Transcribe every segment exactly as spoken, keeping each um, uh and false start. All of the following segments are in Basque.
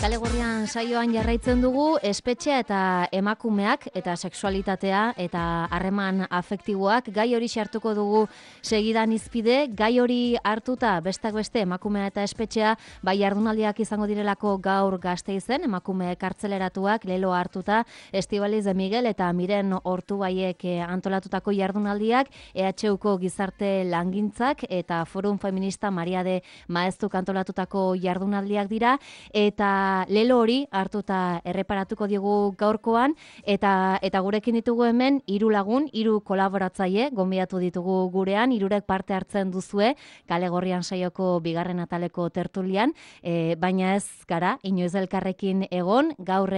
Kale Gorrian saioan jarraitzen dugu espetxea eta emakumeak eta sexualitatea eta harreman afektiboak. Gai hori hartuko dugu segidan izpide. Gai hori hartuta bestak beste emakumea eta espetxea bai jardunaldiak izango direlako gaur Gasteizen, emakume kartzeleratuak lelo hartuta Estibaliz de Miguel eta Miren Ortubaiek antolatutako jardunaldiak, E H Uko gizarte langintzak eta Forum Feminista Maria de Maeztuk antolatutako jardunaldiak dira, eta lelo hori hartuta erreparatuko diogu gaurkoan, eta eta gurekin ditugu hemen hiru lagun, hiru kolaboratzaile gonbidatu ditugu gurean, hirurek parte hartzen duzue Kale Gorrian saioko bigarren ataleko tertulian, e, baina ez gara inoiz elkarrekin egon. Gaur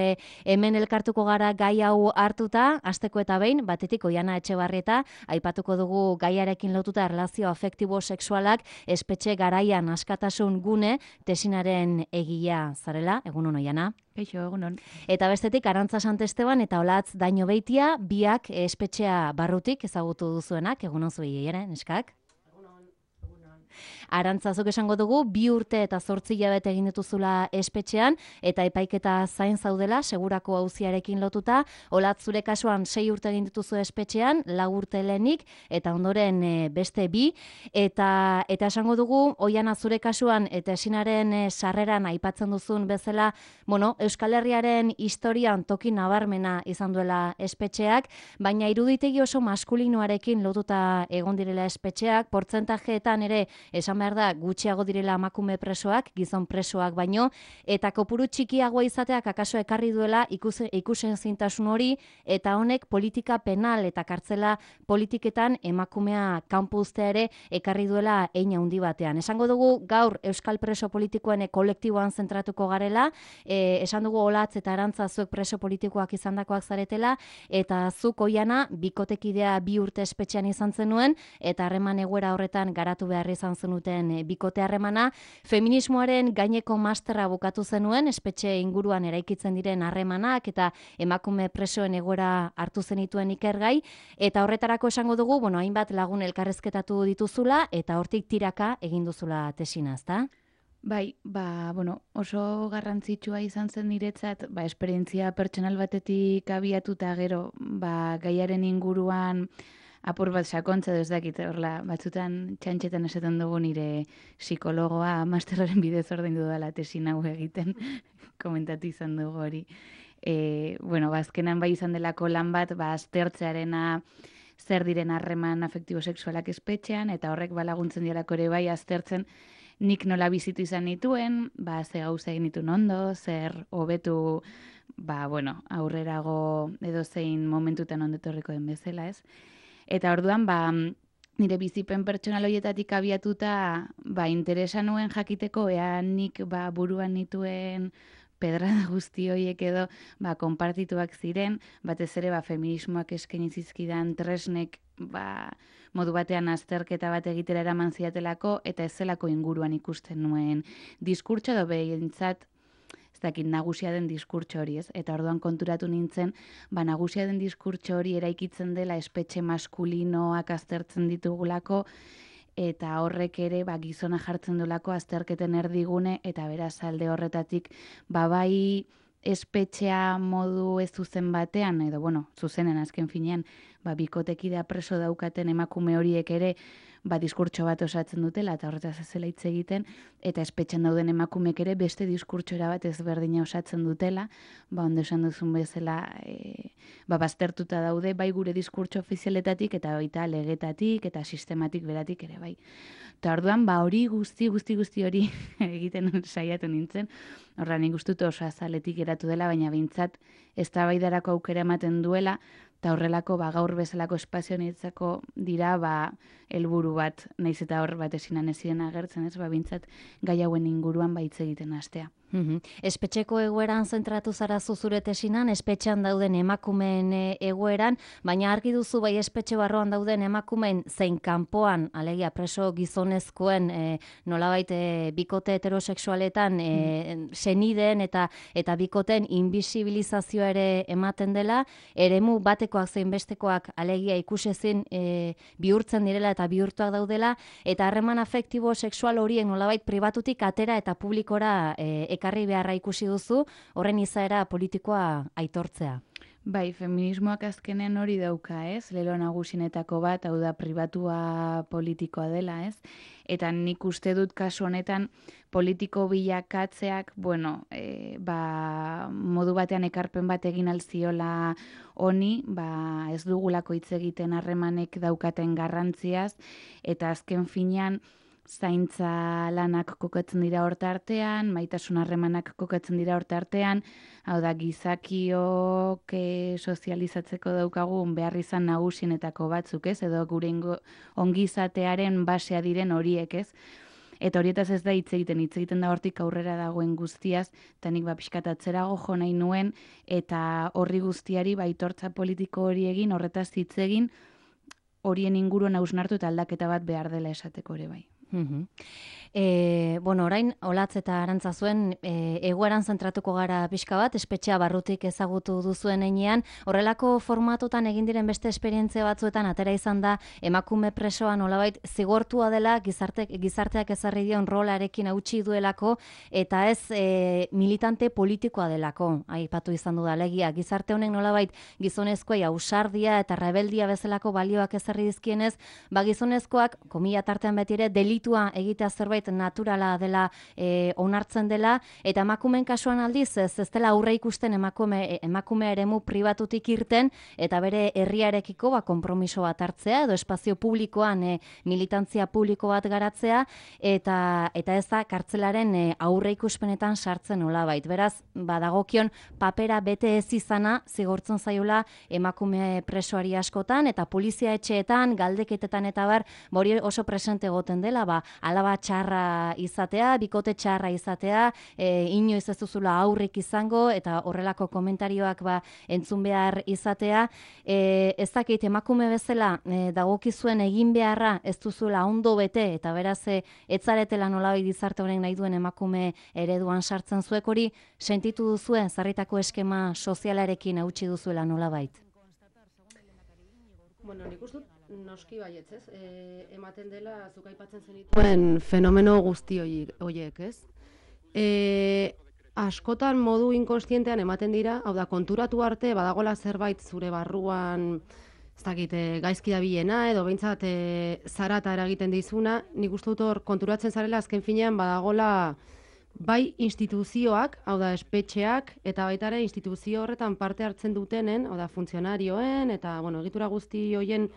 hemen elkartuko gara gai hau hartuta, hasteko eta behin, batetik Oiana Etxebarrieta, aipatuko dugu gaiarekin lotuta erlazio afektibo sexualak espetxe garaian askatasun gune tesinaren egilea zarela. Egunon, Oiana. Kaixo, egunon. Eta bestetik Arantza Santesteban eta Olatz Daño Beitia, biak espetxea barrutik ezagutu duzuenak. Egunon zuei ere, neskak? Arantzazok esango dugu, bi urte eta zortzi hilabete egin dituzula espetxean, eta epaiketa zain zaudela, segurako auziarekin lotuta. Olatz, zure kasuan sei urte egin dituzu espetxean, lau urte lehenik, eta ondoren e, beste bi. Eta, eta esango dugu, Oiana, zure kasuan, eta esinaren e, sarreran aipatzen duzun bezala, bueno, Euskal Herriaren historian toki nabarmena izan duela espetxeak, baina iruditegi oso maskulinoarekin lotuta egon direla espetxeak, portzentajeetan ere esan behar da gutxiago direla emakume presoak, gizon presoak baino, eta kopuru txikiagoa izateak akaso ekarri duela ikuse, ikusen zintasun hori, eta honek politika penal eta kartzela politiketan emakumea kanpo uztea ere ekarri duela hein handi batean. Esango dugu gaur Euskal preso politikoen kolektiboan zentratuko garela, e, esan dugu Olatz eta Arantza zuek preso politikoak izandakoak zaretela, eta zuk Oiana bikotekidea bi urte espetxean izan zenuen, eta harreman egoera horretan garatu behar izan zenuten bikote harremana. Feminismoaren gaineko masterra bukatu zenuen, espetxe inguruan eraikitzen diren harremanak eta emakume presoen egoera hartu zenituen ikergai, eta horretarako esango dugu, bueno, hainbat lagun elkarrezketatu dituzula, eta hortik tiraka egin duzula tesina, ezta? Bai, ba, bueno, oso garrantzitsua izan zen niretzat, ba, esperientzia pertsonal batetik abiatuta gero, ba, gaiaren inguruan apur bat sakontza ez dakit, horla, batzutan txantxetan esaten dugu nire psikologoa masterraren bidez ordaindu dela tesin hau egiten, komentatu izan dugu hori. E, bueno, ba, azkenan bai izan delako lan bat, ba, aztertzearena zer diren harreman afektibo sexualak espetxean, eta horrek balaguntzen dialako ere bai aztertzen nik nola bizitu izan nituen, ba, ze gauza egin dituen ondo, zer hobetu, ba, bueno, aurrerago edo zein momentutan ondetorriko den bezala, ez? Eta orduan, ba, nire bizipen pertsonal horietatik abiatuta, ba, interesa nuen jakiteko, ea nik ba, buruan nituen pedrada guzti horiek edo ba, konpartituak ziren, batez ere ba, feminismoak eskaini zizkidan tresnek ba, modu batean azterketa bat egitera eraman ziatelako, eta ez zelako inguruan ikusten nuen diskurtso edo behintzat dakit nagusia den diskurtso hori, ez? Eta orduan konturatu nintzen, ba nagusia den diskurtso hori eraikitzen dela espetxe maskulinoak aztertzen ditugulako, eta horrek ere ba, gizona jartzen duelako azterketen erdigune, eta beraz alde horretatik ba bai espetxea modu ez zuzen batean, edo bueno, zuzenen azken finean, ba bikotekidea preso daukaten emakume horiek ere ba, diskurtso bat osatzen dutela, eta horretaz ez zela hitz egiten, eta espetxan dauden emakumek ere beste diskurtsora bat ezberdina osatzen dutela, ba, ondo esan duzun bezala, e, ba, baztertuta daude, bai gure diskurtso ofizialetatik, eta baita legetatik, eta sistematik beratik ere, bai. Eta orduan, ba, hori guzti, guzti, guzti hori egiten saiatu nintzen, horra nik uste dut oso azaletik geratu dela, baina behintzat eztabaidarako aukera ematen duela, eta horrelako ba, gaur bezalako espazio niretzako dira ba, helburu bat, naiz eta hor bat esinan ezien agertzen, ez, ba, bintzat gai hauen inguruan ba, hitz egiten hastea. Mm-hmm. Espetxeko egoeran zentratu zara zure tesinan, espetxean dauden emakumeen egoeran, baina argi duzu bai espetxe barroan dauden emakumeen zein kanpoan, alegia preso gizonezkoen e, nolabait e, bikote heterosexualetan e, mm. senideen eta eta bikoten invisibilizazioa ere ematen dela, eremu batekoak zein bestekoak alegia ikusezin e, bihurtzen direla eta bihurtuak daudela, eta harreman afektibo sexual horiek nolabait pribatutik atera eta publikora e, ekarri beharra ikusi duzu, horren izaera politikoa aitortzea. Bai, feminismoak azkenean hori dauka, ez? Lelo nagusinetako bat, hau da pribatua politikoa dela, ez? Eta nik uste dut kasu honetan politiko bilakatzeak, bueno, e, ba, modu batean ekarpen bat egin alziola honi, ba, ez dugulako hitz egiten harremanek daukaten garrantziaz, eta azken finean zaintza lanak kokatzen dira horta artean, maitasun harremanak kokatzen dira horta artean, hau da gizakiok e, sozializatzeko daukagun behar izan nagusienetako batzuk, ez? Edo gure ongizatearen basea diren horiek, ez? Eta horietaz ez da hitz egiten, hitz egiten da hortik aurrera dagoen guztiaz, eta nik ba pixkat atzerago jo nahi nuen, eta horri guztiari baitortza politiko hori egin, horretaz hitz egin, horien inguruan hausnartu eta aldaketa bat behar dela esateko ere bai. Mm-hmm. E, bueno, orain, Olatz eta Arantza zuen, e, egoeran zentratuko gara pixka bat, espetxea barrutik ezagutu duzuen heinean, horrelako formatotan egin diren beste esperientzia batzuetan atera izan da emakume presoa nolabait zigortua dela gizarte, gizarteak ezarri dion rolarekin hautsi duelako, eta ez e, militante politikoa delako, aipatu izan du da legia, gizarte honek nolabait gizonezkoei ausardia eta rebeldia bezalako balioak ezarri dizkienez, ba gizonezkoak, komila tartean beti ere, delitua egitea zerbait naturala dela e, onartzen dela, eta emakumeen kasuan aldiz ez, ez dela aurre ikusten emakume, emakume eremu pribatutik irten, eta bere herriarekiko ba, konpromiso bat hartzea, edo espazio publikoan e, militantzia publiko bat garatzea, eta eta ez da kartzelaren e, aurre ikuspenetan sartzen nolabait. Beraz, badagokion papera bete ez izana zigortzen zaiola emakume presoari askotan, eta polizia etxeetan, galdeketetan eta bar, hori oso presente egoten dela, ba, alaba txarra izatea, bikote txarra izatea, e, inoiz ez duzula aurrik izango, eta horrelako komentarioak ba, entzun behar izatea. E, ez dakit, emakume bezala e, dagokizuen egin beharra ez duzula ondo bete, eta beraz e, etzaretela nolabait gizarte honek nahi duen emakume ereduan sartzen zuek hori, sentitu duzue, zarritako eskema sozialarekin hautsi duzuela nolabait? Bueno, nik uste dut noski baietz, ez? E, ematen dela, zuk aipatzen zenituen fenomeno guzti horiek, ez? E, askotan modu inkonstientean ematen dira, hau da, konturatu arte, badagola zerbait zure barruan, ez dakit, gaizki dabilena, edo behintzat e, zarata eragiten dizuna, nik uste dut hor konturatzen zarela azken finean badagola bai instituzioak, hau da, espetxeak, eta baita ere instituzio horretan parte hartzen dutenen, hau da, funtzionarioen, eta, bueno, egitura guzti hoien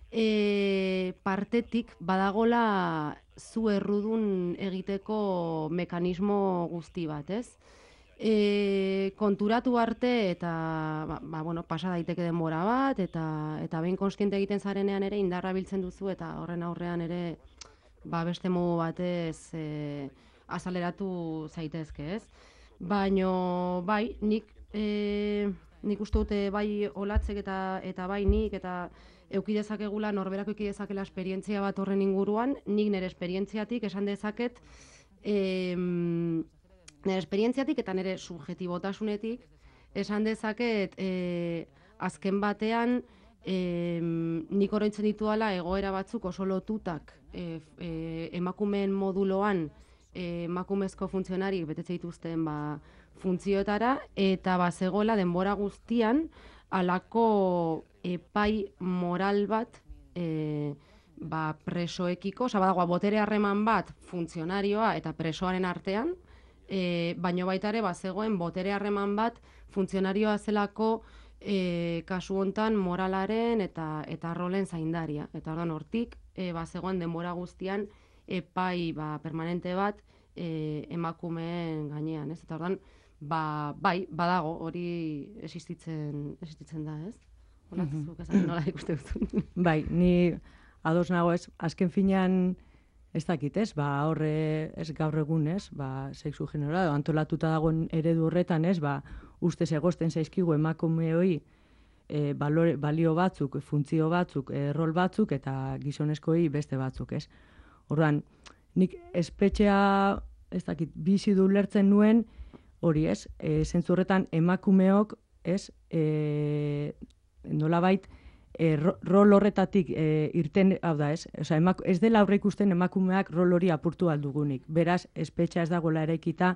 E, partetik badagola zu errudun egiteko mekanismo guzti bat, ez? E, konturatu arte eta ba, ba, bueno, pasa daiteke denbora bat, eta eta behin konstiente egiten zarenean ere indarra biltzen duzu, eta horren aurrean ere ba, beste modu batez e, azaleratu zaitezke, ez? Baino, bai, nik e, nik uste dute bai Olatzek eta, eta bai nik, eta euki dezakegula, norberako euki dezakela esperientzia bat horren inguruan, nik nire esperientziatik esan dezaket, e, nire esperientziatik eta nire subjetibotasunetik esan dezaket, e, azken batean, e, nik oroitzen dituala egoera batzuk oso lotutak e, e, emakumeen moduloan e, emakumezko funtzionarik betetze dituzten ba, funtzioetara, eta bazegoela denbora guztian alako epai moral bat e, ba, presoekiko, oza, badagoa, botere harreman bat funtzionarioa eta presoaren artean, e, baino baita ere bazegoen botere harreman bat funtzionarioa zelako e, kasu hontan moralaren eta eta rolen zaindaria. Eta orduan hortik e, bazegoen denbora guztian epai ba, permanente bat e, emakumeen gainean, ez? Eta orduan ba, bai, badago, hori existitzen, existitzen da, ez? Olatzuk esan nola ikuste dut. Bai, ni ados nago ez, azken finean ez dakit ez, ba, horre ez gaur egun ez, ba, sexu genera, antolatuta dagoen eredu horretan ez, ba, ustez egosten zaizkigu emakumeoi e, balore, balio batzuk, funtzio batzuk, e, rol batzuk, eta gizonezkoei beste batzuk ez. Orduan, nik espetxea, ez dakit, bizi du lertzen nuen, hori ez, e, zentzu horretan emakumeok ez, e, nolabait, e, rol horretatik e, irten, hau da ez, Osa, emak, ez dela aurre ikusten emakumeak rol hori apurtu aldugunik. Beraz, espetxa ez dagoela eraikita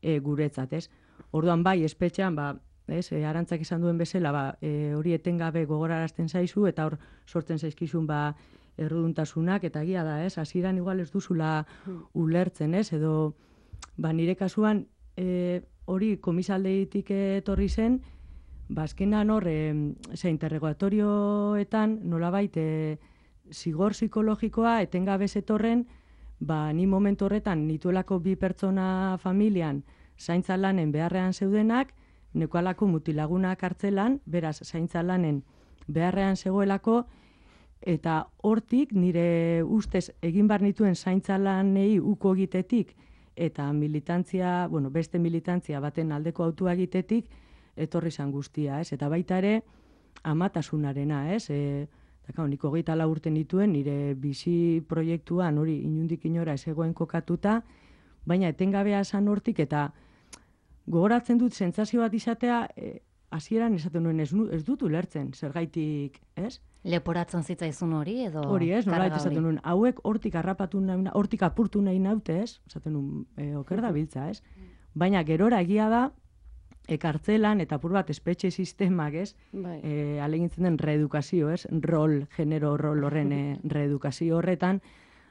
e, guretzat, ez? Orduan bai, espetxean, ba, ez, e, Arantzak esan duen bezala, ba, e, hori etengabe gogorarazten zaizu, eta hor sortzen zaizkizun, ba, erruduntasunak, eta egia da, ez? Hasieran igual ez duzula ulertzen, ez? Edo, ba, nire kasuan, e, hori komisaldeitik etorri zen, ba, azkenan hor, e, ze interrogatorioetan, nolabait, e, zigor psikologikoa etengabe zetorren, ba, ni momentu horretan nituelako bi pertsona familian zaintza lanen beharrean zeudenak, nekoalako mutilaguna kartzelan, beraz, zaintza lanen beharrean zegoelako, eta hortik nire ustez egin bar nituen zaintza lanei uko egitetik, eta militantzia, bueno, beste militantzia baten aldeko autua egitetik, etorri zan guztia, ez? Eta baita ere, amatasunarena, ez? E, Eta, nik hogeita lau urte nituen, nire bizi proiektuan hori inundik inora ez egoen kokatuta, baina etengabea esan hortik, eta gogoratzen dut sentsazio bat izatea, e, hasieran esaten nuen ez, ez dut ulertzen, zergaitik, ez? Leporatzen zitzaizun hori edo? Hori ez, nolait esaten nuen, hauek hortik harrapatu nahi, hortik apurtu nahi naute, ez? Esaten nuen, e, oker da biltza, ez? Baina gerora egia da, ekartzelan eta apur bat espetxe sistemak, ez? Bai. E, alegintzen den reedukazio, ez? Rol, genero rol horren e, reedukazio horretan,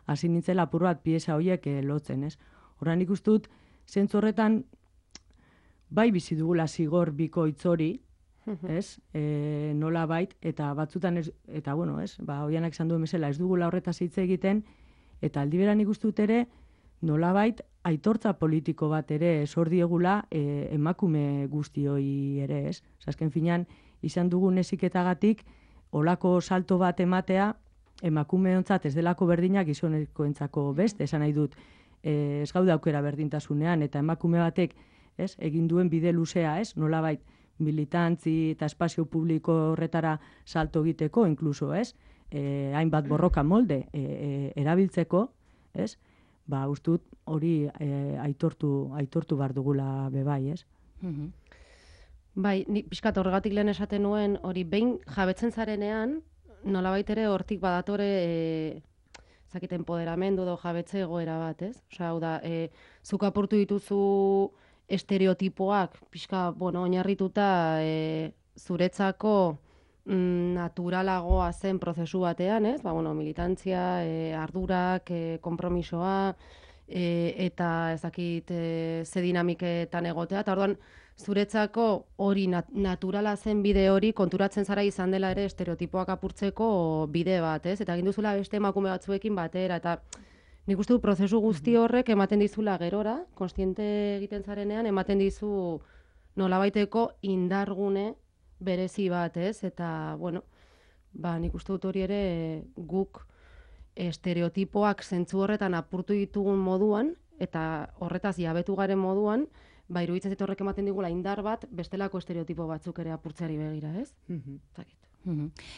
hasi nintzela apur bat pieza horiek e, lotzen, ez? Horren ikustut, zentzu horretan, bai bizi dugula zigor bikoitz hori, ez? E, nola bait, eta batzutan, ez, eta bueno, ez? Ba, hoianak esan duen bezala, ez dugula horretaz hitz egiten, eta aldi beran ikustut ere, nolabait aitortza politiko bat ere sor diegula e, emakume guztioi ere, ez? Azken finean, izan dugun heziketagatik olako salto bat ematea emakumeontzat ez delako berdinak gizonekoentzako beste, esan nahi dut, e, ez gaude aukera berdintasunean, eta emakume batek, ez, egin duen bide luzea, ez? Nolabait militantzi eta espazio publiko horretara salto egiteko, inkluso, ez? E, hainbat borroka molde e, e, erabiltzeko, ez? Ba, ustut hori e, aitortu, aitortu bar dugula bebai, ez? Mhm. Bai, ni pixkat horregatik lehen esaten nuen, hori behin jabetzen zarenean, nolabait ere hortik badatore e, zakit empoderamendu edo jabetze egoera bat, ez? Osea, hau da, e, zuk apurtu dituzu estereotipoak, pixka, bueno, oinarrituta e, zuretzako mm, naturalagoa zen prozesu batean, ez? Ba, bueno, militantzia, e, ardurak, e, konpromisoa, e, eta ezakit e, ze dinamiketan egotea, eta orduan, zuretzako hori nat naturala zen bide hori konturatzen zara izan dela ere estereotipoak apurtzeko bide bat, ez? Eta egin duzula beste emakume batzuekin batera, eta nik uste du prozesu guzti horrek ematen dizula gerora, konstiente egiten zarenean, ematen dizu nolabaiteko indargune berezi bat, ez? Eta, bueno, ba, nik uste dut hori ere guk estereotipoak zentzu horretan apurtu ditugun moduan, eta horretaz jabetu garen moduan, ba, iruditzen zait horrek ematen digula indar bat, bestelako estereotipo batzuk ere apurtzeari begira, ez? Zakit.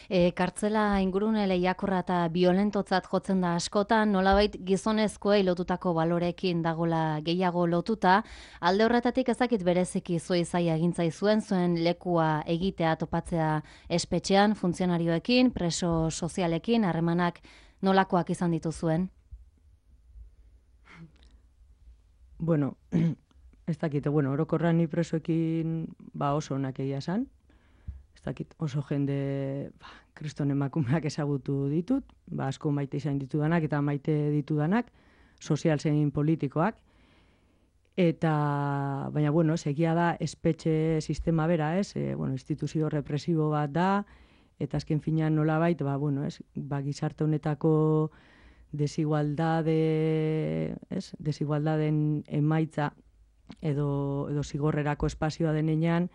E, kartzela ingurune lehiakorra eta violentotzat jotzen da askotan, nolabait gizonezkoei lotutako balorekin dagola gehiago lotuta, alde horretatik ezakit bereziki zuei zaila egintzai zuen, zuen lekua egitea topatzea espetxean, funtzionarioekin, preso sozialekin, harremanak nolakoak izan dituzuen? Bueno, ez dakit, bueno, orokorran ni presoekin ba oso onak egia esan. Ez dakit, oso jende ba, kriston emakumeak ezagutu ditut, ba, asko maite izan ditudanak eta maite ditudanak, sozial zein politikoak. Eta, baina, bueno, egia da espetxe sistema bera, ez? E, bueno, instituzio represibo bat da, eta azken finean nolabait, ba, bueno, ez? Ba, gizarte honetako desigualdade, ez? Desigualdaden emaitza edo, edo zigorrerako espazioa denean,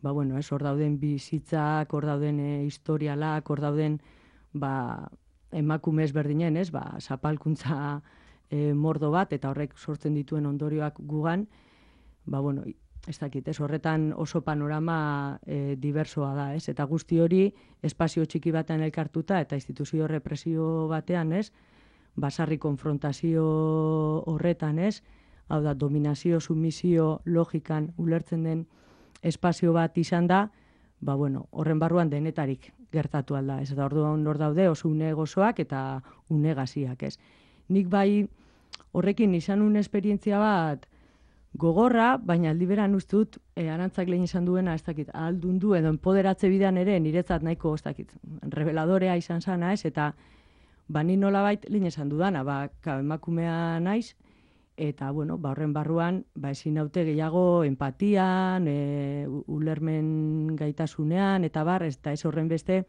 ba, bueno, ez, hor dauden bizitzak, hor dauden e, historialak, hor dauden ba, emakume ezberdinen, ez, ba, zapalkuntza e, mordo bat, eta horrek sortzen dituen ondorioak gugan, ba, bueno, ez dakit, ez, horretan oso panorama e, diversoa da, ez, eta guzti hori espazio txiki batean elkartuta, eta instituzio represio batean, ez, basarri konfrontazio horretan, ez, hau da, dominazio, sumisio, logikan ulertzen den espazio bat izan da, ba, bueno, horren barruan denetarik gertatu alda, ez da, orduan hor daude oso une gozoak eta une gaziak, ez. Nik bai horrekin izan un esperientzia bat, gogorra, baina aldi beran uste dut, e, Arantzak lehen izan duena, ez dakit, ahaldundu edo enpoderatze bidean ere, niretzat nahiko, ez dakit, reveladorea izan zana, ez, eta ba, ni nolabait lehen esan dudana, ba, ka, emakumea naiz, eta, bueno, ba, horren barruan, ba, ezin naute gehiago empatian, e, ulermen gaitasunean, eta bar, ez, eta ez horren beste,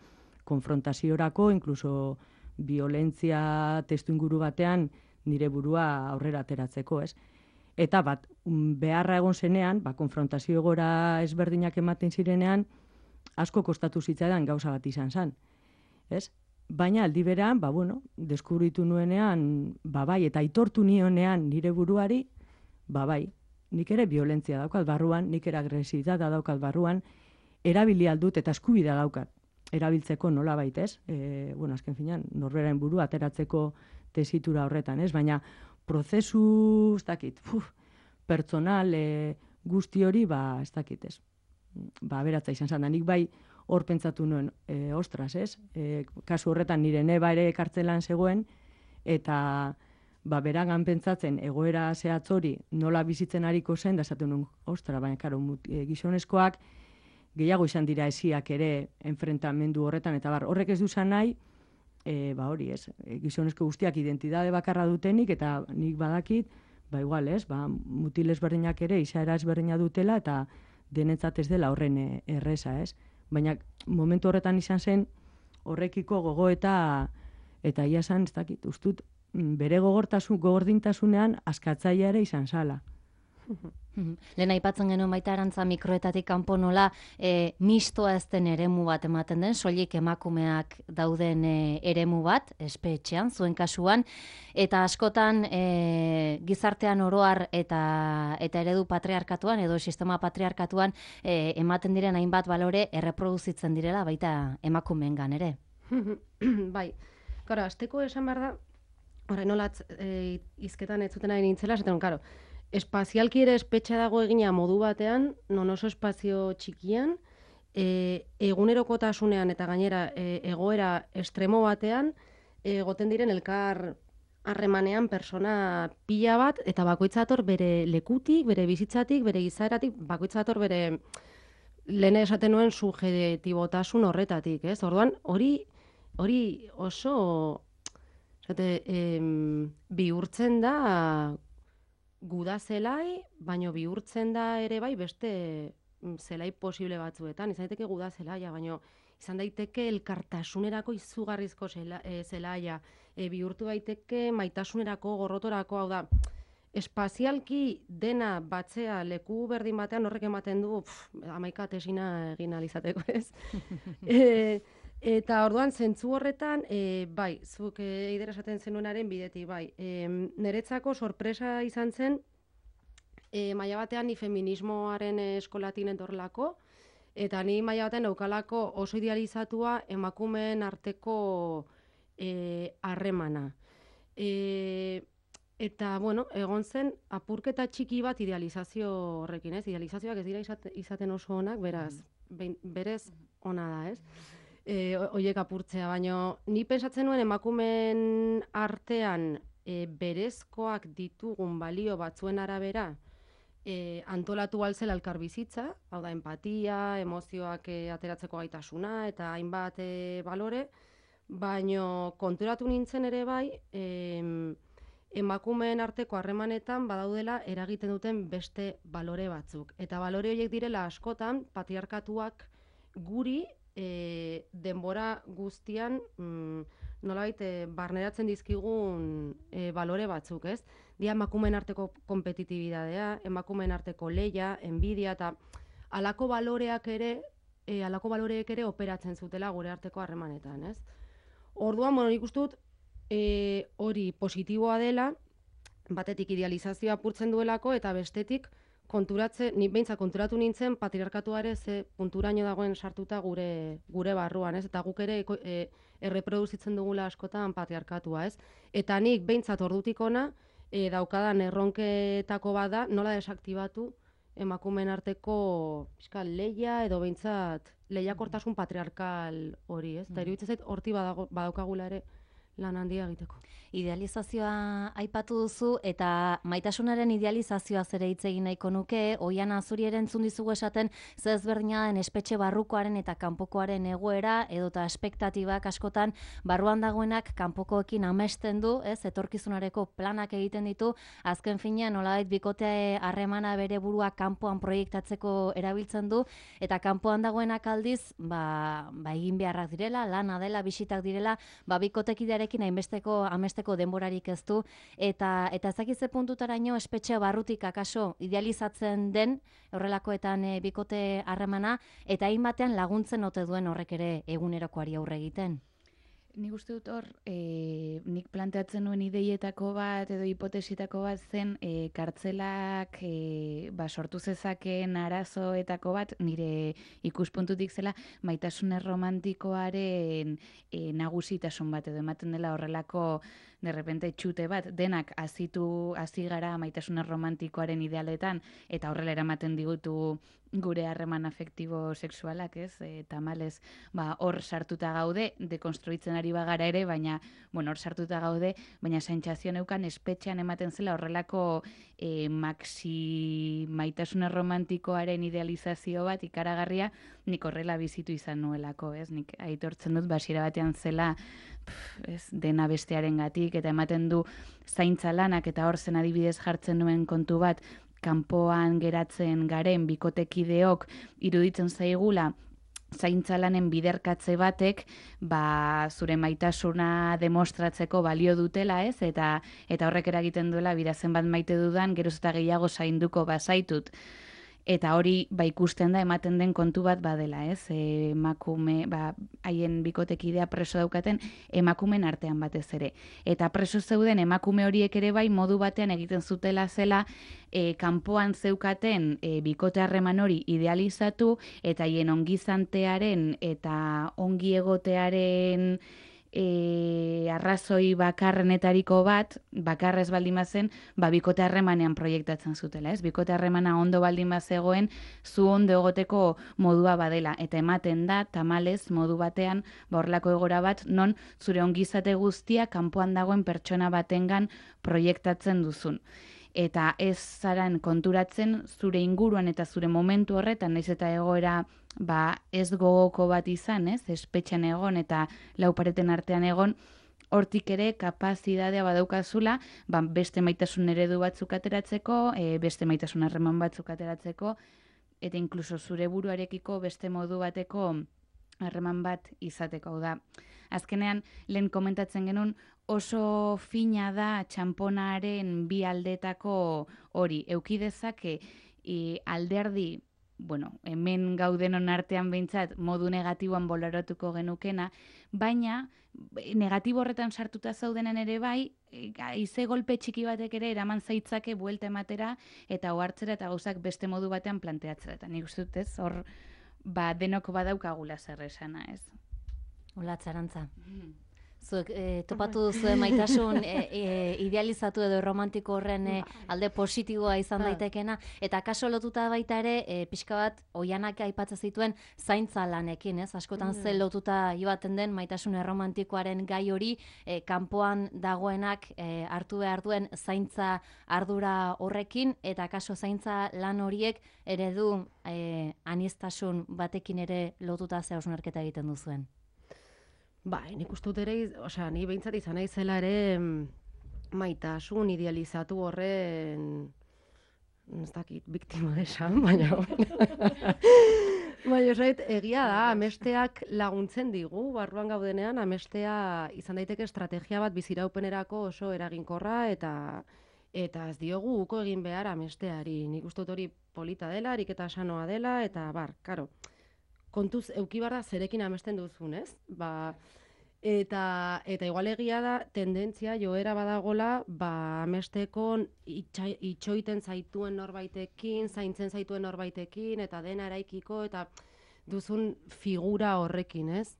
konfrontaziorako, inkluso violentzia testu inguru batean, nire burua aurrera ateratzeko, ez? Eta bat, beharra egon zenean, ba, konfrontazio gora ezberdinak ematen zirenean, asko kostatu zitzaidan gauza bat izan zen. Ez? Baina aldi berean, ba, bueno, deskubritu nuenean, ba, bai, eta aitortu nionean nire buruari, ba, bai, nik ere violentzia daukat barruan, nik ere agresibitatea daukat barruan, erabili aldut eta eskubidea daukat. Erabiltzeko nola baitez, e, bueno, azken finean, norberaren burua ateratzeko tesitura horretan, ez? Baina, prozesu, ez dakit, uf, pertsonal e, guzti hori, ba, ez dakit, ez? Ba, beratza izan zan, nik bai hor pentsatu nuen, e, ostras, ez? E, kasu horretan nire neba ere kartzelan zegoen, eta ba, beragan pentsatzen egoera zehatz hori nola bizitzen ariko zen, da esaten nuen, ostra, baina, karo, e, gizonezkoak gehiago izan dira esiak ere enfrentamendu horretan, eta bar, horrek ez duzan nahi, e, ba hori ez, e, gizonezko guztiak identitate bakarra dutenik, eta nik badakit, ba igual ez, ba, mutil ezberdinak ere izaera ezberdina dutela, eta denetzat ez dela horren e, erreza, ez? Baina momentu horretan izan zen horrekiko gogo eta eta ia esan, ez dakit, ustut, bere gogortasun, gogordintasunean askatzailea ere izan zala. Lehen aipatzen genuen baita Arantza mikroetatik kanpo nola e, mistoa ez den eremu bat ematen den, soilik emakumeak dauden e, eremu bat, espetxean, zuen kasuan, eta askotan e, gizartean oroar eta eta eredu patriarkatuan edo sistema patriarkatuan e, ematen diren hainbat balore erreproduzitzen direla baita emakumeengan ere. Bai, karo, azteko esan behar da, horrein nolatz e, izketan ez zuten ari nintzela, esaten, karo, espazialki ere espetxa dago egina modu batean, non oso espazio txikian, e, egunerokotasunean eta gainera e, egoera estremo batean, egoten diren elkar harremanean persona pila bat, eta bakoitzator bere lekutik, bere bizitzatik, bere izaeratik, bakoitzator bere lehen esaten nuen subjektibotasun horretatik, ez? Orduan, hori hori oso esate, em, bihurtzen da guda zelai, baino bihurtzen da ere bai beste zelai posible batzuetan. Izan daiteke guda zelaia, baino izan daiteke elkartasunerako izugarrizko zela, e, zelaia, e, bihurtu daiteke maitasunerako, gorrotorako, hau da, espazialki dena batzea leku berdin batean horrek ematen du, pff, hamaika tesina egin alizateko, ez? e, Eta orduan, zentzu horretan, e, bai, zuk e, eider esaten zenuenaren bidetik, bai. E, Neretzako sorpresa izan zen, e, maila batean ni feminismoaren eskolatin etorlako, eta ni maila batean daukalako oso idealizatua emakumeen arteko harremana. E, eta, bueno, egon zen apurketa txiki bat idealizazio horrekin, ez? Idealizazioak ez dira izate, izaten oso onak, beraz, bein, berez ona da, ez? E, oiek apurtzea, baina ni pensatzen nuen emakumeen artean e, berezkoak ditugun balio batzuen arabera e, antolatu alzela elkarbizitza, hau da, empatia, emozioak e, ateratzeko gaitasuna eta hainbat e, balore, baina konturatu nintzen ere bai e, emakumeen arteko harremanetan badaudela eragiten duten beste balore batzuk. Eta balore horiek direla askotan patriarkatuak guri E, denbora guztian mm, nolabait e, barneratzen dizkigun e, balore batzuk, ez? Dia emakumeen arteko kompetitibidadea, emakumeen arteko leia, enbidia eta halako baloreak ere, e, halako baloreek ere operatzen zutela gure arteko harremanetan, ez? Orduan, bueno, nik uste dut e, hori positiboa dela, batetik idealizazioa apurtzen duelako eta bestetik konturatze, ni beintza konturatu nintzen patriarkatuare ze punturaino dagoen sartuta gure gure barruan, ez? Eta guk ere e, erreproduzitzen dugula askotan patriarkatua, ez? Eta nik beintzat ordutik ona e, daukadan erronketako bada nola desaktibatu emakumeen arteko fiskal leia edo beintzat lehiakortasun patriarkal hori, ez? Eta iruditzen zait horti badago, badaukagula ere lan handia egiteko. Idealizazioa aipatu duzu eta maitasunaren idealizazioa zere hitz egin nahiko nuke, Oiana zuri ere entzun dizugu esaten ze ezberdina den espetxe barrukoaren eta kanpokoaren egoera edota espektatibak askotan barruan dagoenak kanpokoekin amesten du, ez, etorkizunareko planak egiten ditu, azken finean nolabait bikote harremana bere burua kanpoan proiektatzeko erabiltzen du eta kanpoan dagoenak aldiz, ba, ba egin beharrak direla, lana dela, bisitak direla, ba bikotekidearekin hainbesteko amesteko denborarik ez du, eta eta ezakitze puntutaraino espetxe barrutik akaso idealizatzen den horrelakoetan e, bikote harremana, eta hainbatean laguntzen ote duen horrek ere egunerokoari aurre egiten. Nik uste dut hor, e, nik planteatzen nuen ideietako bat edo hipotesitako bat zen e, kartzelak e, ba, sortu zezakeen arazoetako bat nire ikuspuntutik zela maitasun romantikoaren e, nagusitasun bat edo ematen dela horrelako de repente txute bat, denak hazitu hasi gara maitasun romantikoaren idealetan eta horrela eramaten digutu gure harreman afektibo sexualak, ez? E, tamalez, ba, hor sartuta gaude, dekonstruitzen ari bagara ere, baina, bueno, hor sartuta gaude, baina sentsazio neukan espetxean ematen zela horrelako e, maxi maitasuna romantikoaren idealizazio bat ikaragarria, nik horrela bizitu izan nuelako, ez? Nik aitortzen dut, basiera batean zela, pff, ez, dena bestearengatik eta ematen du zaintza lanak eta hor zen adibidez jartzen nuen kontu bat, kanpoan geratzen garen bikotekideok iruditzen zaigula zaintza lanen biderkatze batek ba, zure maitasuna demostratzeko balio dutela, ez? Eta eta horrek eragiten duela birazen bat maite dudan, geroz eta gehiago zainduko bazaitut. Eta hori ba ikusten da ematen den kontu bat badela, ez? E, emakume, ba haien bikotekidea preso daukaten emakumen artean batez ere. Eta preso zeuden emakume horiek ere bai modu batean egiten zutela zela e, kanpoan zeukaten e, bikote harreman hori idealizatu eta haien ongizantearen eta ongi egotearen E, arrazoi bakarrenetariko bat, bakarrez baldin bazen, ba, bikote harremanean proiektatzen zutela, ez? Bikote harremana ondo baldin bazegoen, zu ondo egoteko modua badela, eta ematen da, tamalez, modu batean, ba, horrelako egora bat, non zure ongizate guztia kanpoan dagoen pertsona batengan proiektatzen duzun. Eta ez zaran konturatzen zure inguruan eta zure momentu horretan, naiz eta egoera ba, ez gogoko bat izan, ez? Espetxean egon eta laupareten artean egon, hortik ere kapazitatea badaukazula, ba, beste maitasun eredu batzuk ateratzeko, e, beste maitasun harreman batzuk ateratzeko, eta inkluso zure buruarekiko beste modu bateko harreman bat izateko. Hau da, azkenean, lehen komentatzen genuen, oso fina da txamponaren bi aldetako hori. Eukidezake e, alderdi, bueno, hemen gaudenon artean behintzat modu negatiboan bolaratuko genukena, baina negatibo horretan sartuta zaudenen ere bai, haize golpe txiki batek ere eraman zaitzake buelta ematera eta ohartzera eta gauzak beste modu batean planteatzera. Eta nik uste dut ez, hor ba, denok badaukagula zer esana, ez? Hola, Txarantza. Zuek e, topatu duzu maitasun e, e, idealizatu edo romantiko horren e, alde positiboa izan daitekena, eta kaso lotuta baita ere e, pixka bat Oianak aipatzen zituen zaintza lanekin, ez? Askotan ze lotuta ibaten den maitasun erromantikoaren gai hori e, kanpoan dagoenak e, hartu behar duen zaintza ardura horrekin, eta kaso zaintza lan horiek eredu e, aniztasun batekin ere lotuta ze hausnarketa egiten duzuen. Bai, nik uste dut ere, osea, ni behintzat izan naizela ere maitasun idealizatu horren, ez dakit, biktima esan, baina, baina, osait, egia da, amesteak laguntzen digu, barruan gaudenean, amestea izan daiteke estrategia bat biziraupenerako oso eraginkorra, eta eta ez diogu uko egin behar amesteari. Nik uste dut hori polita dela, ariketa sanoa dela, eta bar, karo, kontuz eukibarra zerekin amesten duzun, ez? Ba, eta, eta igual egia da, tendentzia joera badagola, ba, amesteko itxa, itxoiten zaituen norbaitekin, zaintzen zaituen norbaitekin, eta dena eraikiko, eta duzun figura horrekin, ez?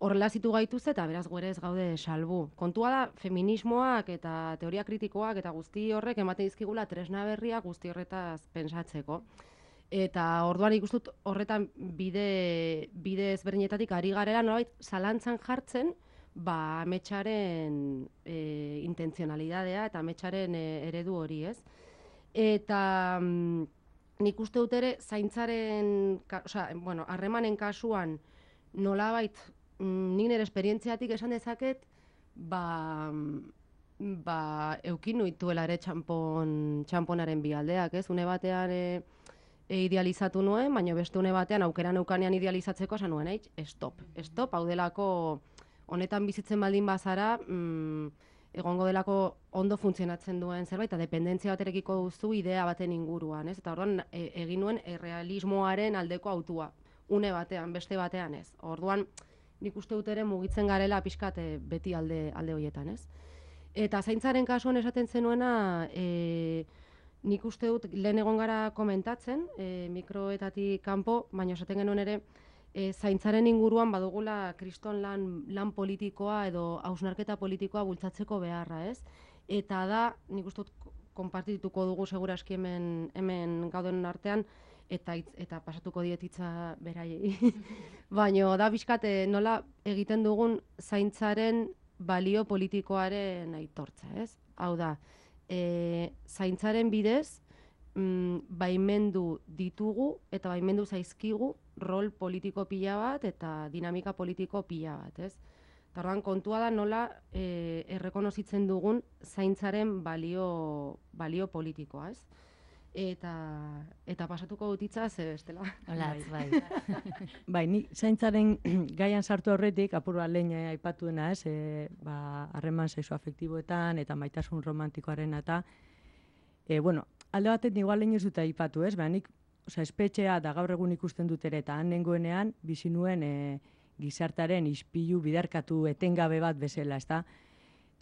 Horrela zitu gaituz eta beraz guere ez gaude salbu. Kontua da, feminismoak eta teoria kritikoak eta guzti horrek ematen dizkigula tresna berria guzti horretaz pentsatzeko. Eta orduan ikustut horretan bide, bide ezberdinetatik ari garela nolabait zalantzan jartzen ba, ametsaren e, intentzionalidadea eta ametsaren e, eredu hori, ez? Eta mm, nik uste dut ere, zaintzaren, osea, bueno, harremanen kasuan, nolabait, mm, nik nire esperientziatik esan dezaket, ba, ba, eukin nuituela ere txampon, txamponaren bi aldeak, ez? Une batean e, e, idealizatu nuen, baina beste une batean aukera neukanean idealizatzeko esan nuen, eitz, stop, stop, hau delako honetan bizitzen baldin bazara, mm, egongo delako ondo funtzionatzen duen zerbait, eta dependentzia baterekiko duzu idea baten inguruan, ez? Eta orduan e, egin nuen errealismoaren aldeko autua, une batean, beste batean, ez? Orduan, nik uste dut ere mugitzen garela pixkat e, beti alde, alde horietan, ez? Eta zaintzaren kasuan esaten zenuena, e, nik uste dut lehen egon gara komentatzen, e, mikroetatik kanpo, baina esaten genuen ere, e, zaintzaren inguruan badugula kriston lan, lan politikoa edo hausnarketa politikoa bultzatzeko beharra, ez? Eta da, nik uste dut konpartituko dugu seguraski hemen, hemen gauden artean, eta hitz, eta pasatuko dietitza beraiei. Baina da bizkate nola egiten dugun zaintzaren balio politikoaren aitortza, ez? Hau da, e, zaintzaren bidez, mm, baimendu ditugu eta baimendu zaizkigu rol politiko pila bat eta dinamika politiko pila bat, ez? Tardan kontua da nola e, errekonozitzen dugun zaintzaren balio, balio politikoa, ez? Eta, eta pasatuko dutitza, ze bestela. Olatz, bai. Bai, ni zaintzaren gaian sartu aurretik, apur bat lehen aipatuena, ez, e, ba, harreman sexoafektiboetan eta maitasun romantikoaren eta, e, bueno, alde batet igual lehen ez dut aipatu, ez, ba, nik, oza, espetxea da gaur egun ikusten dut ere, eta han nengoenean, bizi nuen e, gizartaren ispilu biderkatu etengabe bat bezala, ez da,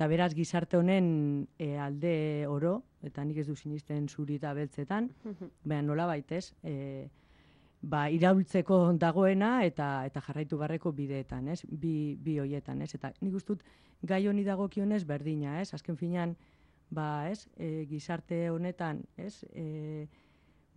eta beraz gizarte honen e, alde oro, eta nik ez du sinisten zuri eta beltzetan, baina nola baitez, e, ba, iraultzeko dagoena eta eta jarraitu barreko bideetan, ez? Bi, bi hoietan, ez? Eta nik ustut gai honi dagokionez berdina, ez? Azken finean, ba, ez? E, gizarte honetan, ez? E,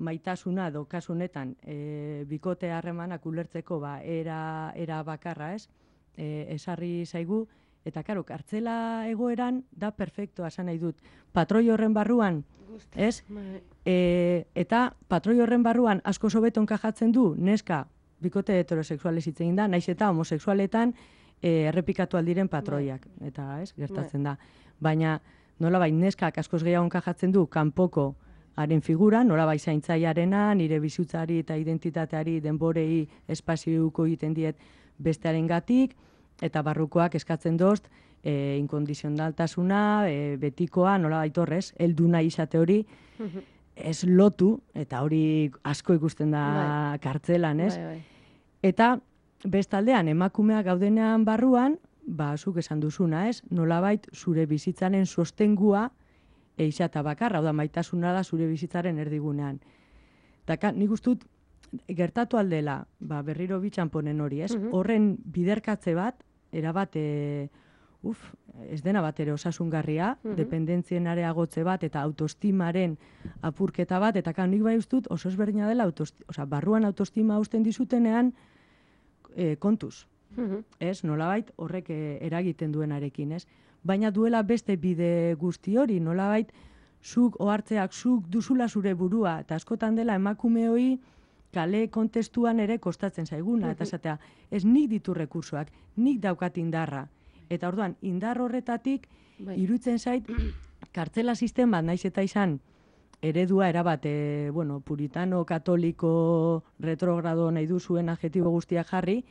maitasuna edo kasu honetan e, bikote harremanak ulertzeko ba, era, era bakarra, ez? E, esarri zaigu, eta, karo, kartzela egoeran da perfektoa, esan nahi dut. Patroi horren barruan, ez? E, eta patroi horren barruan asko hobeto enkajatzen du, neska, bikote heterosexuales hitz egin da, naiz eta homosexualetan e, errepikatu aldiren patroiak. Eta, ez, gertatzen da. Baina, nolabait, neskak askoz gehiago enkajatzen du, kanpoko haren figura, nolabait zaintzaiarena, nire bizutzari eta identitateari denborei espaziuko egiten diet bestearen gatik, eta barrukoak eskatzen dozt, e, inkondizionaltasuna, e, betikoa, nola baitorrez, heldu nahi izate hori, ez lotu, eta hori asko ikusten da bai. Kartzelan, ez? Bai, bai. Eta bestaldean, emakumeak gaudenean barruan, ba, zuk esan duzuna, ez? Nolabait zure bizitzaren sostengua eixata bakarra, hau da, maitasuna da zure bizitzaren erdigunean. Eta nik ustut, gertatu aldela, ba, berriro bitxanponen hori, ez? Horren biderkatze bat, erabat, e, uf, ez dena bat ere osasungarria, uh-huh. dependentzien areagotze bat, eta autoestimaren apurketa bat, eta kan nik bai ustut oso ezberdina dela, oza, barruan autoestima usten dizutenean e, kontuz. Uh-huh. Ez, nolabait horrek e, eragiten duenarekin, ez? Baina duela beste bide guzti hori, nolabait zuk ohartzeak, zuk duzula zure burua, eta askotan dela emakume hori kale kontestuan ere kostatzen zaiguna, eta esatea, ez nik ditu rekursoak, nik daukat indarra. Eta orduan, indar horretatik, bai. Iruditzen zait, kartzela sistema, naiz eta izan, eredua erabat, e, bueno, puritano, katoliko, retrogrado nahi duzuen adjetibo guztiak jarri,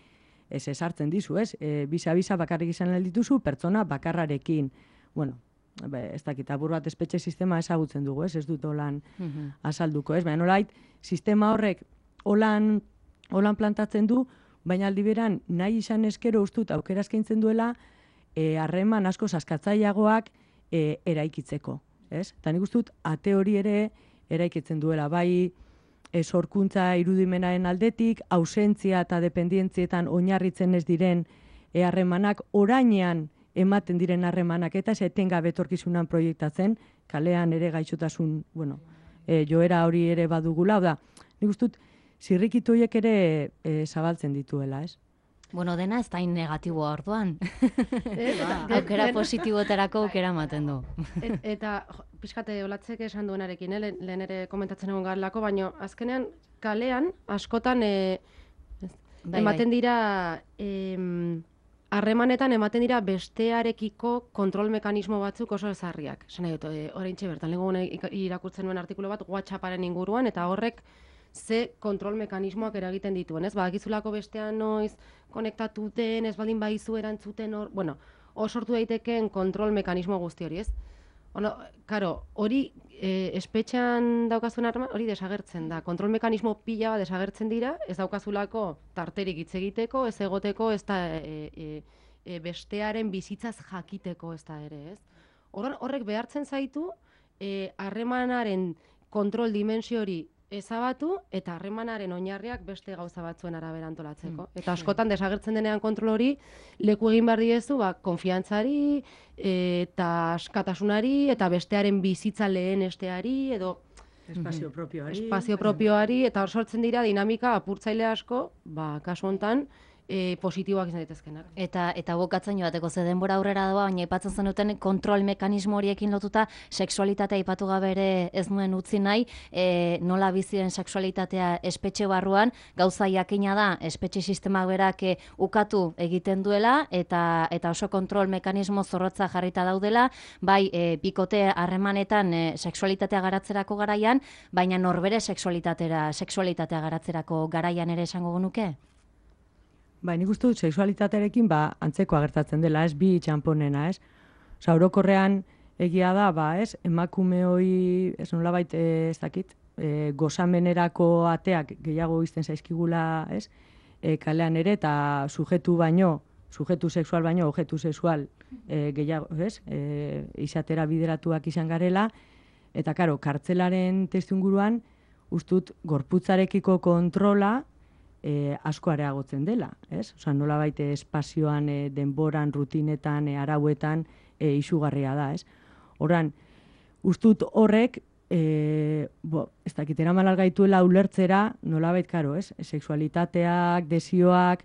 ez esartzen dizu, ez? E, bisa-bisa bakarrik izan nahi dituzu, pertsona bakarrarekin. Bueno, be, ez dakit, abur bat espetxe sistema ezagutzen dugu, ez? Ez dut holan uh-huh. azalduko, ez? Baina nolait, sistema horrek holan, holan plantatzen du, baina aldi beran nahi izan eskero ustut aukera eskaintzen duela harreman e, asko saskatzaileagoak e, eraikitzeko, ez? Eta nik ustut ate hori ere eraikitzen duela, bai e, sorkuntza irudimenaren aldetik, ausentzia eta dependientzietan oinarritzen ez diren e, harremanak, orainean ematen diren harremanak, eta ez etengabe etorkizunan proiektatzen, kalean ere gaixotasun, bueno, e, joera hori ere badugula, da, nik ustut, zirrikitu horiek ere e, zabaltzen dituela, ez? Bueno, dena ez da in negatiboa orduan. Eh, ba, Aukera den- positiboterako aukera ematen du. Et, eta jo, pixkate olatzek esan duenarekin, eh? lehen, lehen ere komentatzen egon garelako, baina azkenean kalean askotan eh, Bai, ematen dira em, harremanetan ematen dira bestearekiko kontrol mekanismo batzuk oso ezarriak. Esan nahi dut, e, oraintxe bertan, lehengo gune irakurtzen nuen artikulu bat WhatsApparen inguruan, eta horrek ze kontrol mekanismoak eragiten dituen, ez? Badakizulako bestean noiz konektatuten, ez baldin baizu erantzuten hor, bueno, hor sortu daitekeen kontrol mekanismo guzti hori, ez? Ono, karo, hori e, espetxean daukazuen arma, hori desagertzen da. Kontrol mekanismo pila bat desagertzen dira, ez daukazulako tarterik hitz egiteko, ez egoteko, ez da e, e, e, bestearen bizitzaz jakiteko ez da ere, ez? Horren, horrek behartzen zaitu, e, harremanaren kontrol dimensio hori ezabatu eta harremanaren oinarriak beste gauza batzuen arabera antolatzeko. Mm. Eta askotan desagertzen denean kontrol hori leku egin behar diezu, ba, konfiantzari eta askatasunari eta bestearen bizitza lehenesteari edo Espazio propioari. espazio propioari, eta hor sortzen dira dinamika apurtzaile asko, ba, kasu hontan, e, positiboak izan daitezkenak. Eta eta bukatzen joateko ze denbora aurrera doa, baina aipatzen zenuten kontrol mekanismo horiekin lotuta sexualitatea aipatu gabe ere ez nuen utzi nahi, e, nola bizi den sexualitatea espetxe barruan, gauza jakina da espetxe sistemak berak e, ukatu egiten duela eta eta oso kontrol mekanismo zorrotza jarrita daudela, bai e, bikote harremanetan e, sexualitatea garatzerako garaian, baina norbere sexualitatera, sexualitatea garatzerako garaian ere esango genuke? Ba, nik uste dut sexualitatearekin ba, antzeko agertatzen dela, ez bi txamponena, ez? Osa, orokorrean egia da, ba, ez? Emakume hoi, ez nolabait, ez dakit, e, gozamenerako ateak gehiago izten zaizkigula, ez? E, kalean ere, eta sujetu baino, sujetu sexual baino, objetu sexual e, gehiago, ez? E, izatera bideratuak izan garela, eta, karo, kartzelaren testuinguruan, ustut, gorputzarekiko kontrola, E, asko areagotzen dela, ez? Osa, nola baite espazioan, e, denboran, rutinetan, e, arauetan, e, isugarria da, ez? Horan, ustut horrek, e, bo, ez dakit, eraman algaituela ulertzera, nola bait, karo, ez? Sexualitateak, desioak,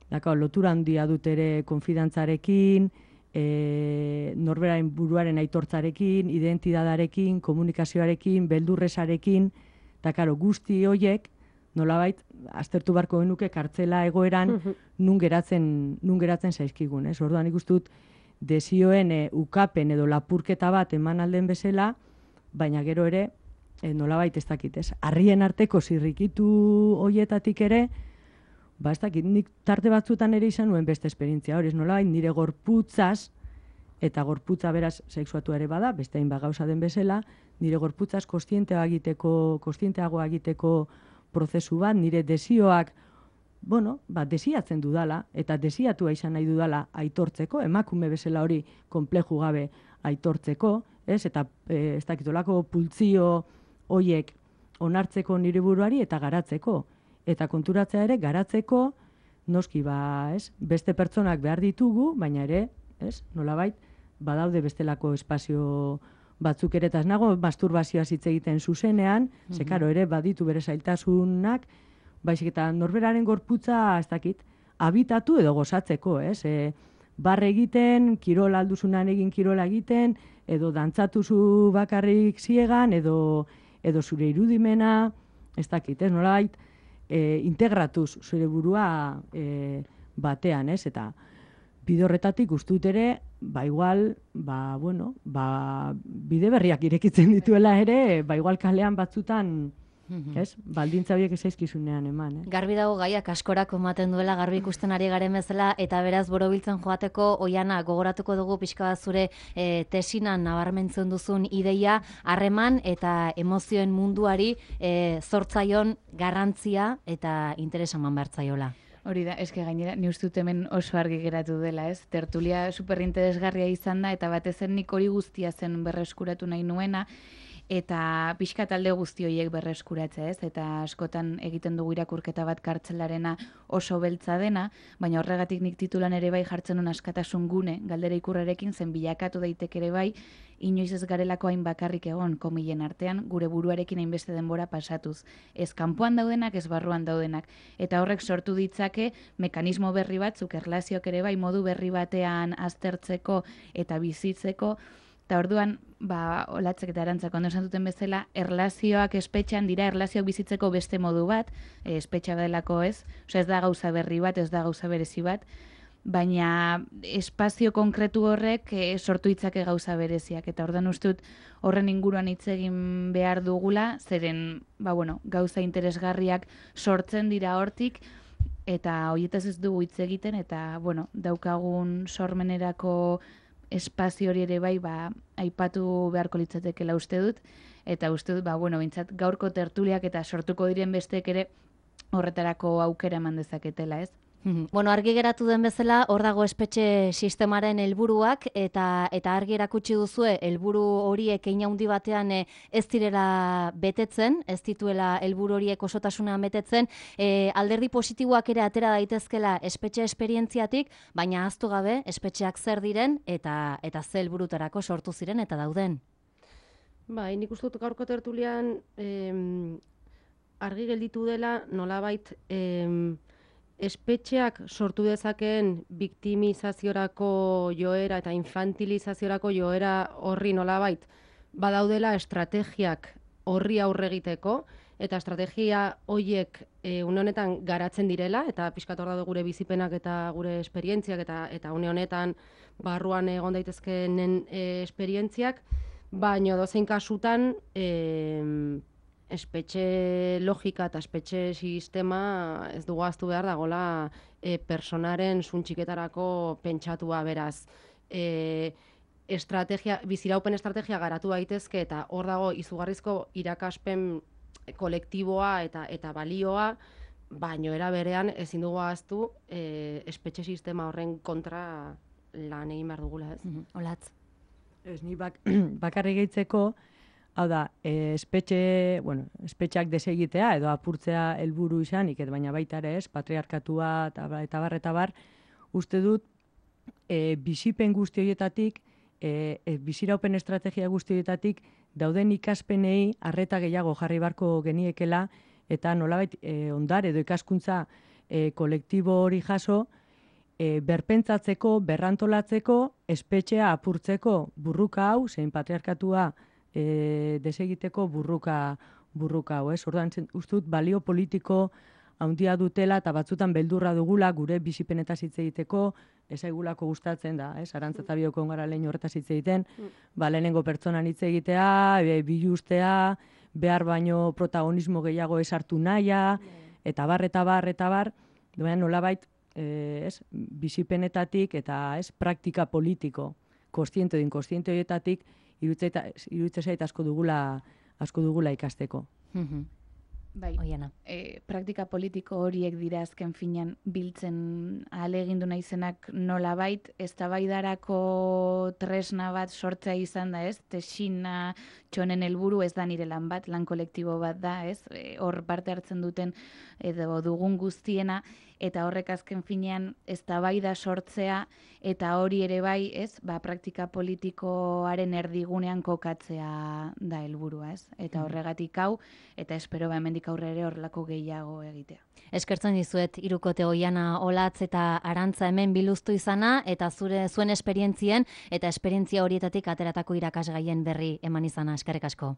daka, lotura handia dut ere konfidantzarekin, e, norberaren buruaren aitortzarekin, identidadarekin, komunikazioarekin, beldurresarekin, eta, karo, guzti hoiek, nolabait, aztertu barko genuke kartzela egoeran nun geratzen, nun geratzen zaizkigun, ez? Orduan ikusten dut desioen e, ukapen edo lapurketa bat eman alden bezala, baina gero ere, e, nolabait ez dakit, ez? Harrien arteko zirrikitu hoietatik ere, ba ez dakit, nik tarte batzutan ere izan nuen beste esperientzia hori, ez nolabait nire gorputzaz, eta gorputza beraz sexuatu ere bada, beste hainbat gauza den bezala, nire gorputzaz kostienteago egiteko, kostienteago egiteko prozesu bat, nire desioak, bueno, ba, desiatzen dudala, eta desiatua izan nahi dudala aitortzeko, emakume bezala hori konpleju gabe aitortzeko, ez, eta e, ez dakitolako pultzio hoiek onartzeko nire buruari eta garatzeko. Eta konturatzea ere, garatzeko, noski, ba, ez, beste pertsonak behar ditugu, baina ere, ez, nolabait, badaude bestelako espazio batzuk ere, eta ez nago masturbazioa hitz egiten zuzenean, mm-hmm. ze karo ere baditu bere zailtasunak, baizik eta norberaren gorputza, ez dakit, habitatu edo gozatzeko, ez? E, barre egiten, kirola alduzunan egin kirola egiten, edo dantzatuzu bakarrik ziegan, edo, edo zure irudimena, ez dakit, ez? Nolabait, e, integratuz zure burua e, batean, ez? Eta bide horretatik ustut ere, ba igual, ba, bueno, ba, bide berriak irekitzen dituela ere, ba igual kalean batzutan, ez? Baldintza horiek ezaizkizunean eman, eh? Garbi dago gaiak askorako ematen duela, garbi ikusten ari garen bezala, eta beraz borobiltzen joateko, Oiana, gogoratuko dugu pixka bat zure e, tesinan nabarmentzen duzun ideia, harreman eta emozioen munduari e, zortzaion garrantzia eta interesa eman bertzaiola. Hori da, eske gainera, ni uste dut hemen oso argi geratu dela, ez? Tertulia superinteresgarria izan da, eta batez zen nik hori guztia zen berreskuratu nahi nuena, eta pixka talde guzti horiek berreskuratzea, ez? Eta askotan egiten dugu irakurketa bat kartzelarena oso beltza dena, baina horregatik nik titulan ere bai jartzen duen askatasun gune, galdera ikurrarekin zen bilakatu daiteke ere bai, inoiz ez garelako hain bakarrik egon komilen artean, gure buruarekin hainbeste denbora pasatuz. Ez kanpoan daudenak, ez barruan daudenak. Eta horrek sortu ditzake mekanismo berri batzuk, erlazioak ere bai, modu berri batean aztertzeko eta bizitzeko. Eta orduan, ba, olatzek eta arantzak ondo esan duten bezala, erlazioak espetxean dira erlazioak bizitzeko beste modu bat, e, espetxa delako ez, osea ez da gauza berri bat, ez da gauza berezi bat, baina espazio konkretu horrek e, sortu ditzake gauza bereziak. Eta orduan uste dut horren inguruan hitz egin behar dugula, zeren ba, bueno, gauza interesgarriak sortzen dira hortik, eta horietaz ez dugu hitz egiten, eta bueno, daukagun sormenerako espazio hori ere bai, ba, aipatu beharko litzatekela uste dut, eta uste dut, ba, bueno, bintzat gaurko tertuliak eta sortuko diren besteek ere horretarako aukera eman dezaketela, ez? Bueno, argi geratu den bezala, hor dago espetxe sistemaren helburuak eta eta argi erakutsi duzue helburu horiek hein handi batean e, ez direla betetzen, ez dituela helburu horiek osotasunean betetzen, e, alderdi positiboak ere atera daitezkela espetxe esperientziatik, baina ahaztu gabe espetxeak zer diren eta eta ze helburutarako sortu ziren eta dauden. Bai, nik uste dut gaurko tertulian em, argi gelditu dela nolabait em, espetxeak sortu dezakeen biktimizaziorako joera eta infantilizaziorako joera horri nolabait badaudela estrategiak horri aurre egiteko, eta estrategia horiek e, une honetan garatzen direla, eta pixkat hor daude gure bizipenak eta gure esperientziak, eta eta une honetan barruan egon daitezkeenen e, esperientziak, baina dozein kasutan e, espetxe logika eta espetxe sistema ez dugu ahaztu behar dagoela e, personaren suntxiketarako pentsatua beraz. E, estrategia, biziraupen estrategia garatu daitezke eta hor dago izugarrizko irakaspen kolektiboa eta eta balioa, baino era berean ezin dugu ahaztu e, espetxe sistema horren kontra lan egin behar dugula, ez? Olatz. Ez, ni bak, bakarrik gehitzeko, hau da, e, espetxe, bueno, espetxeak desegitea edo apurtzea helburu izanik, baina baita ere ez, patriarkatua eta, eta bar, eta bar, uste dut, e, bizipen guzti horietatik, e, e, biziraupen estrategia guzti horietatik, dauden ikaspenei arreta gehiago jarri barko geniekela, eta nolabait e, ondar edo ikaskuntza e, kolektibo hori jaso, e, berpentsatzeko, berrantolatzeko, espetxea apurtzeko burruka hau, zein patriarkatua E, desegiteko burruka burruka hau, ez? Orduan uste dut balio politiko handia dutela eta batzutan beldurra dugula gure bizipenetaz hitz egiteko, ez aigulako gustatzen da, ez? Arantza eta bioko gara lehen horretaz hitz egiten, ba, lehenengo pertsonan hitz egitea, e, bilustea, behar baino protagonismo gehiago ez hartu nahia, eta bar, eta bar, eta bar, baina nolabait, e, ez? Bizipenetatik eta ez praktika politiko, kontziente edo inkontziente horietatik, iruditzen zait asko dugula, asko dugula ikasteko. Bai, e, praktika politiko horiek dira azken finean biltzen ahalegindu naizenak nolabait, eztabaidarako tresna bat sortzea izan da, ez? Tesina txonen helburu ez da nire lan bat, lan kolektibo bat da, ez? E, hor parte hartzen duten edo dugun guztiena, eta horrek azken finean eztabaida sortzea eta hori ere bai, ez? Ba, praktika politikoaren erdigunean kokatzea da helburua, ez? Eta horregatik hau, eta espero ba hemendik aurre ere horrelako gehiago egitea. Eskertzen dizuet hirukote Oiana, Olatz eta Arantza hemen biluztu izana eta zure zuen esperientzien eta esperientzia horietatik ateratako irakasgaien berri eman izana. Eskerrik asko.